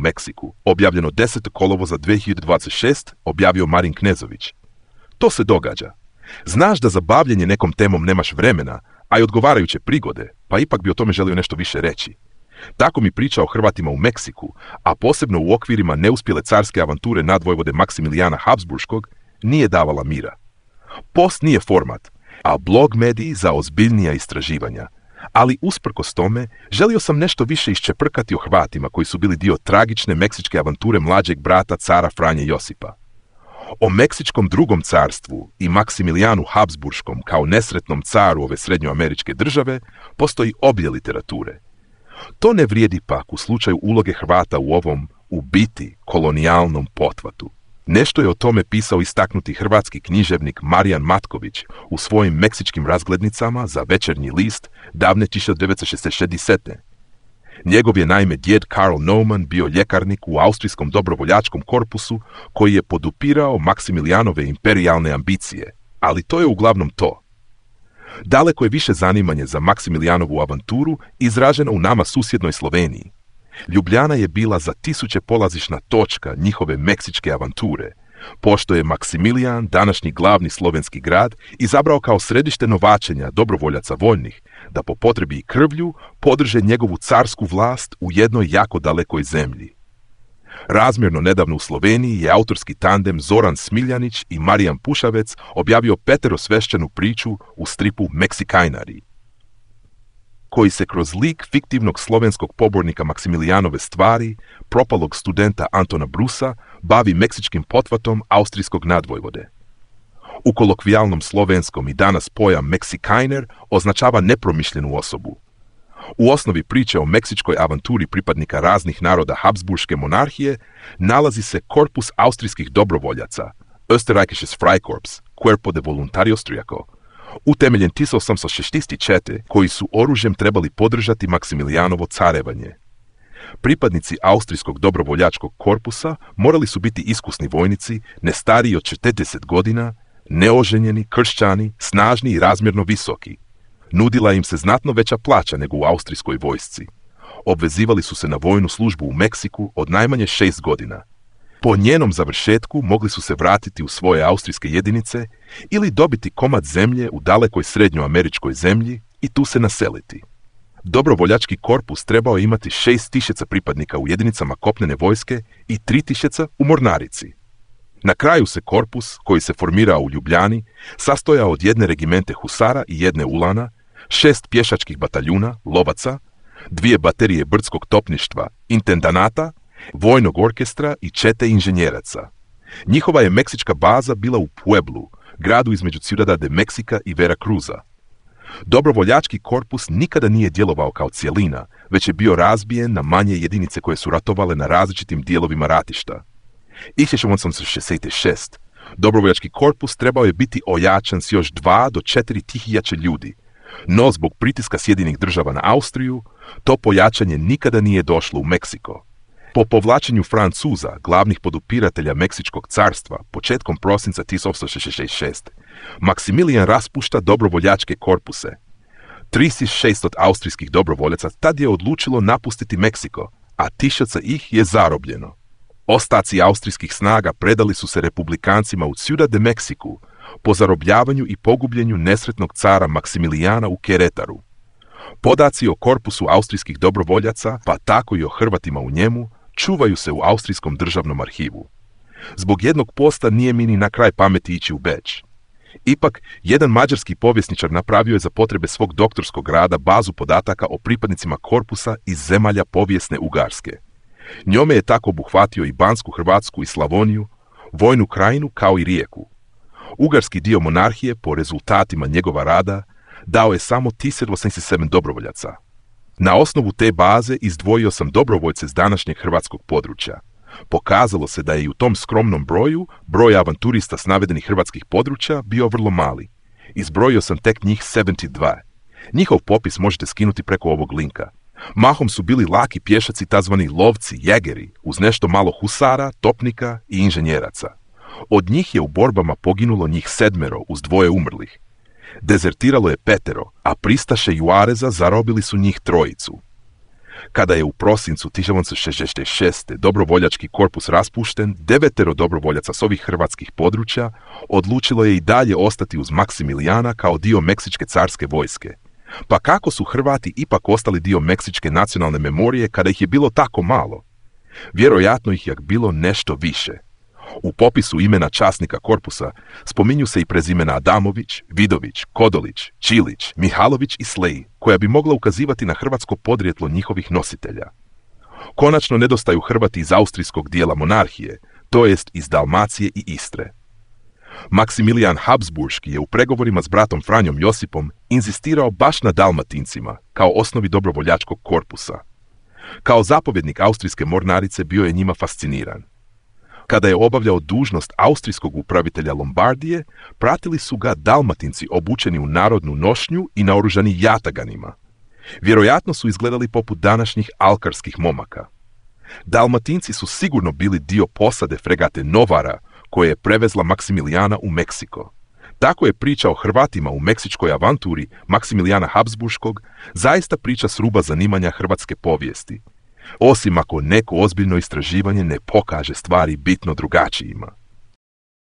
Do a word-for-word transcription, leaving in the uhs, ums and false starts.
Meksiku, objavljeno desetog kolovoza dvije hiljade dvadeset šeste, objavio Marin Knezović. To se događa. Znaš da za bavljenje nekom temom nemaš vremena, a i odgovarajuće prigode, pa ipak bi o tome želio nešto više reći. Tako mi priča o Hrvatima u Meksiku, a posebno u okvirima neuspjele carske avanture nadvojvode Maksimilijana Habsburškog, nije davala mira. Post nije format, a blog mediji za ozbiljnija istraživanja. Ali usprkos tome, želio sam nešto više iščeprkati o Hrvatima koji su bili dio tragične meksičke avanture mlađeg brata cara Franje Josipa. O Meksičkom drugom carstvu i Maksimilijanu Habsburškom kao nesretnom caru ove srednjoameričke države postoji obje literature. To ne vrijedi pak u slučaju uloge Hrvata u ovom, u biti, kolonijalnom pothvatu. Nešto je o tome pisao istaknuti hrvatski književnik Marijan Matković u svojim meksičkim razglednicama za Večernji list davne tisuću devetsto šezdeset sedme. Njegov je naime djed Karl Naumann bio ljekarnik u austrijskom dobrovoljačkom korpusu koji je podupirao Maksimilijanove imperijalne ambicije, ali to je uglavnom to. Daleko je više zanimanje za Maksimilijanovu avanturu izraženo u nama susjednoj Sloveniji. Ljubljana je bila za tisuće polazišna točka njihove meksičke avanture, pošto je Maksimilijan, današnji glavni slovenski grad, izabrao kao središte novačenja dobrovoljaca voljnih, da po potrebi i krvlju podrže njegovu carsku vlast u jednoj jako dalekoj zemlji. Razmjerno nedavno u Sloveniji je autorski tandem Zoran Smiljanić i Marijan Pušavec objavio peterosvešćenu priču u stripu Meksikajnari, koji se kroz lik fiktivnog slovenskog pobornika Maksimilijanove stvari, propalog studenta Antona Brusa, bavi meksičkim pothvatom austrijskog nadvojvode. U kolokvijalnom slovenskom i danas pojam Meksikajner označava nepromišljenu osobu. U osnovi priče o meksičkoj avanturi pripadnika raznih naroda Habsburške monarhije nalazi se korpus austrijskih dobrovoljaca, Österreichisches Freikorps, Cuerpo de Voluntario Austriaco, utemeljen tisuću osamsto šezdeset četvrte, koji su oružjem trebali podržati Maksimilijanovo carevanje. Pripadnici austrijskog dobrovoljačkog korpusa morali su biti iskusni vojnici, ne stariji od četrdeset godina, neoženjeni, kršćani, snažni i razmjerno visoki. Nudila im se znatno veća plaća nego u austrijskoj vojsci. Obvezivali su se na vojnu službu u Meksiku od najmanje šest godina. Po njenom završetku mogli su se vratiti u svoje austrijske jedinice ili dobiti komad zemlje u dalekoj srednjoameričkoj zemlji i tu se naseliti. Dobrovoljački korpus trebao je imati šest tisuća pripadnika u jedinicama kopnene vojske i tri tisuće u mornarici. Na kraju se korpus, koji se formirao u Ljubljani, sastojao od jedne regimente husara i jedne ulana, šest pješačkih bataljuna, lovaca, dvije baterije brdskog topništva, intendanata, vojnog orkestra i čete inženjeraca. Njihova je meksička baza bila u Pueblu, gradu između Ciudad de Mexica i Veracruza. Dobrovoljački korpus nikada nije djelovao kao cijelina, već je bio razbijen na manje jedinice koje su ratovale na različitim dijelovima ratišta. tisuću osamsto šezdeset šeste. Dobrovoljački korpus trebao je biti ojačan s još dva do četiri tisuće ljudi, no zbog pritiska Sjedinjenih država na Austriju, to pojačanje nikada nije došlo u Meksiko. Po povlačenju Francuza, glavnih podupiratelja Meksičkog carstva, početkom prosinca tisuću osamsto šezdeset šeste, Maksimilijan raspušta dobrovoljačke korpuse. tri tisuće šesto austrijskih dobrovoljaca tad je odlučilo napustiti Meksiko, a tisuća ih je zarobljeno. Ostaci austrijskih snaga predali su se republikancima u Ciudad de Mexiku po zarobljavanju i pogubljenju nesretnog cara Maksimilijana u Queretaru. Podaci o korpusu austrijskih dobrovoljaca, pa tako i o Hrvatima u njemu, čuvaju se u Austrijskom državnom arhivu. Zbog jednog posta nije mi ni na kraj pameti ići u Beč. Ipak, jedan mađarski povjesničar napravio je za potrebe svog doktorskog rada bazu podataka o pripadnicima korpusa iz zemalja povijesne Ugarske. Njome je tako obuhvatio i Bansku Hrvatsku i Slavoniju, Vojnu krajinu kao i Rijeku. Ugarski dio monarhije, po rezultatima njegova rada, dao je samo tisuću osamdeset sedam dobrovoljaca. Na osnovu te baze izdvojio sam dobrovoljce s današnjeg hrvatskog područja. Pokazalo se da je i u tom skromnom broju broj avanturista s navedenih hrvatskih područja bio vrlo mali. Izbrojio sam tek njih sedamdeset dva. Njihov popis možete skinuti preko ovog linka. Mahom su bili laki pješaci, tazvani lovci, jegeri, uz nešto malo husara, topnika i inženjeraca. Od njih je u borbama poginulo njih sedmero uz dvoje umrlih. Dezertiralo je petero, a pristaše Juareza zarobili su njih trojicu. Kada je u prosincu tisuću šezdeset šeste. dobrovoljački korpus raspušten, devetero dobrovoljaca s ovih hrvatskih područja odlučilo je i dalje ostati uz Maksimilijana kao dio Meksičke carske vojske. Pa kako su Hrvati ipak ostali dio Meksičke nacionalne memorije kada ih je bilo tako malo? Vjerojatno ih je bilo nešto više. U popisu imena časnika korpusa spominju se i prezimena Adamović, Vidović, Kodolić, Čilić, Mihalović i Slej, koja bi mogla ukazivati na hrvatsko podrijetlo njihovih nositelja. Konačno nedostaju Hrvati iz austrijskog dijela monarhije, to jest iz Dalmacije i Istre. Maksimilijan Habsburški je u pregovorima s bratom Franjom Josipom inzistirao baš na Dalmatincima kao osnovi dobrovoljačkog korpusa. Kao zapovjednik austrijske mornarice bio je njima fasciniran. Kada je obavljao dužnost austrijskog upravitelja Lombardije, pratili su ga Dalmatinci obučeni u narodnu nošnju i naoružani jataganima. Vjerojatno su izgledali poput današnjih alkarskih momaka. Dalmatinci su sigurno bili dio posade fregate Novara, koja je prevezla Maksimilijana u Meksiko. Tako je priča o Hrvatima u meksičkoj avanturi Maksimilijana Habsburškog zaista priča s ruba zanimanja hrvatske povijesti. Osim ako neko ozbiljno istraživanje ne pokaže stvari bitno drugačijima.